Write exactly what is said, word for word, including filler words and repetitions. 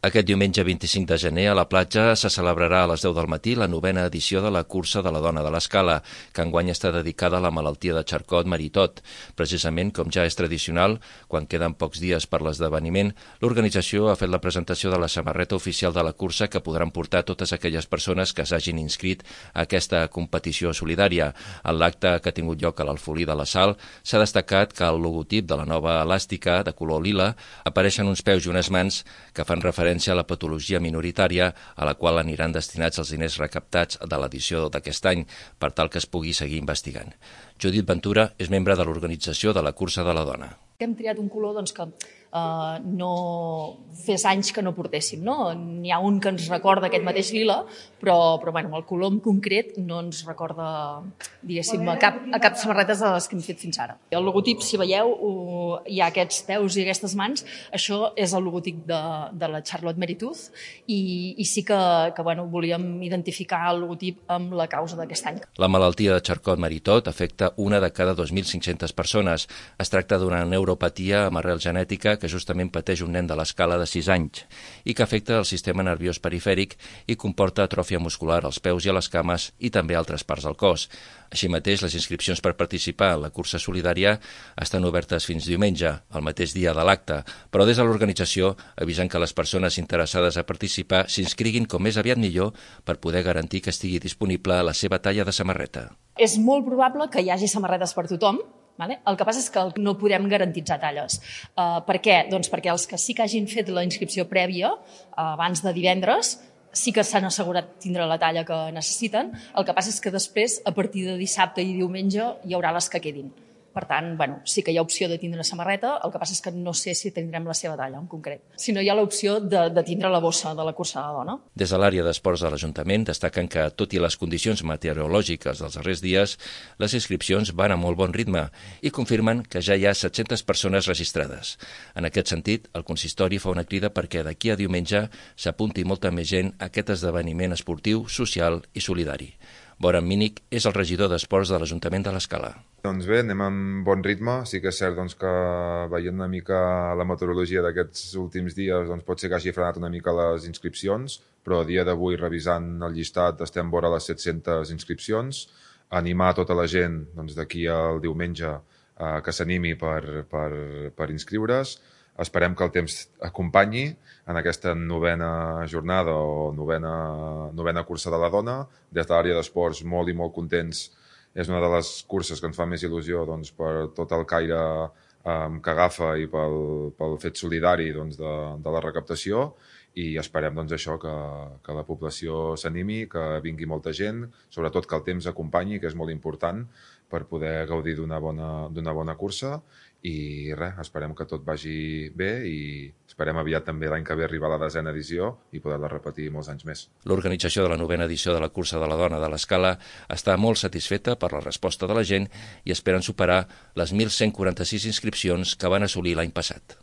Aquest diumenge vint-i-cinc de gener a la platja se celebrarà a les deu del matí la novena edició de la Cursa de la Dona de l'Escala, que enguany està dedicada a la malaltia de Charcot-Marie-Tooth. Precisament, com ja és tradicional, quan queden pocs dies per l'esdeveniment, l'organització ha fet la presentació de la samarreta oficial de la cursa que podran portar totes aquelles persones que s'hagin inscrit a aquesta competició solidària. En l'acte que ha tingut lloc a l'Alfolí de la Sal s'ha destacat que al logotip de la nova elàstica de color lila apareixen uns peus i unes mans que fan referència a la patologia minoritària a la qual aniran destinats els diners recaptats de l'edició d'aquest any per tal que es pugui seguir investigant. Judit Ventura és membre de l'organització de la Cursa de la Dona. Hem triat un color doncs, que eh, no fes anys que no portéssim. No? N'hi ha un que ens recorda aquest mateix lila, però, però bueno, el color en concret no ens recorda diguéssim, a, cap, a cap samarretes de les que hem fet fins ara. El logotip, si veieu, hi ha aquests peus i aquestes mans, això és el logotip de, de la Charcot-Marie-Tooth i, i sí que, que bueno, volíem identificar el logotip amb la causa d'aquest any. La malaltia de Charcot-Marie-Tooth afecta una de cada dos mil cinc-centes persones. Es tracta d'una neuropatia amb arrel genètica que justament pateix un nen de l'escala de sis anys i que afecta el sistema nerviós perifèric i comporta atròfia muscular als peus i a les cames i també a altres parts del cos. Així mateix, les inscripcions per participar en la cursa solidària estan obertes fins diumenge, el mateix dia de l'acte, però des de l'organització avisen que les persones interessades a participar s'inscriguin com més aviat millor per poder garantir que estigui disponible la seva talla de samarreta. És molt probable que hi hagi samarretes per tothom. Vale? El que passa és que no podem garantitzar talles. Uh, per què? Doncs perquè els que sí que hagin fet la inscripció prèvia uh, abans de divendres sí que s'han assegurat tindre la talla que necessiten. El que passa és que després, a partir de dissabte i diumenge, hi haurà les que quedin. Per tant, bueno, sí que hi ha opció de tindre samarreta, el que passa és que no sé si tindrem la seva talla en concret. Si no, hi ha l'opció de, de tindre la bossa de la cursa de la dona. Des de l'àrea d'esports de l'Ajuntament destaquen que, tot i les condicions meteorològiques dels darrers dies, les inscripcions van a molt bon ritme i confirmen que ja hi ha set-centes persones registrades. En aquest sentit, el consistori fa una crida perquè d'aquí a diumenge s'apunti molta més gent a aquest esdeveniment esportiu, social i solidari. Boran Mínic és el regidor d'Esports de l'Ajuntament de l'Escala. Doncs bé, anem amb bon ritme. Sí que és cert doncs, que veient una mica la meteorologia d'aquests últims dies doncs, pot ser que hagi frenat una mica les inscripcions, però a dia d'avui, revisant el llistat, estem vora les set-centes inscripcions. Animar tota la gent doncs, d'aquí al diumenge eh, que s'animi per, per, per inscriure's. Esperem que el temps acompanyi en aquesta novena jornada o novena, novena cursa de la dona. Des de l'àrea d'esports, molt i molt contents. És una de les curses que ens fa més il·lusió doncs, per tot el caire eh, que agafa i pel, pel fet solidari doncs, de, de la recaptació i esperem doncs, això que, que la població s'animi, que vingui molta gent, sobretot que el temps acompanyi, que és molt important per poder gaudir d'una bona, d'una bona cursa i res, esperem que tot vagi bé i esperem aviat també l'any que ve arribar a la desena edició i poder-la repetir molts anys més. L'organització de la novena edició de la Cursa de la Dona de l'Escala està molt satisfeta per la resposta de la gent i esperen superar les mil cent quaranta-sis inscripcions que van assolir l'any passat.